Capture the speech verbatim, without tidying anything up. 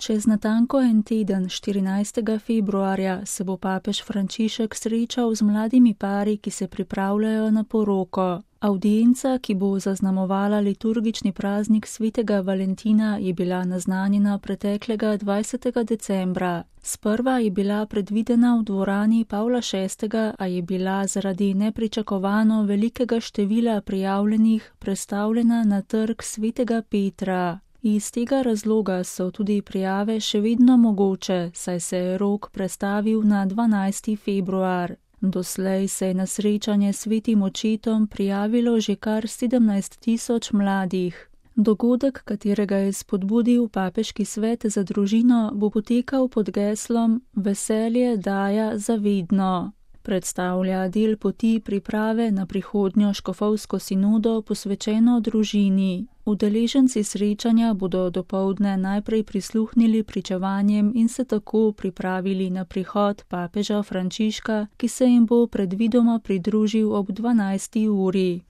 Čez natanko en teden, štirinajstega februarja, se bo papež Frančišek srečal z mladimi pari, ki se pripravljajo na poroko. Avdienca, ki bo zaznamovala liturgični praznik svetega Valentina, je bila naznanjena preteklega dvajsetega decembra. Sprva je bila predvidena v dvorani Pavla šestega, a je bila zaradi nepričakovano velikega števila prijavljenih prestavljena na trg svetega Petra. Iz tega razloga so tudi prijave še vedno mogoče, saj se je rok prestavil na dvanajsti februar. Doslej se je na srečanje s svetim očetom prijavilo že kar sedemnajst tisoč mladih. Dogodek, katerega je spodbudil papeški svet za družino, bo potekal pod geslom Veselje daja za vedno. Predstavlja del poti priprave na prihodnjo škofovsko sinodo posvečeno družini. Udeleženci srečanja bodo dopoldne najprej prisluhnili pričevanjem in se tako pripravili na prihod papeža Frančiška, ki se jim bo predvidoma pridružil ob dvanajsti uri.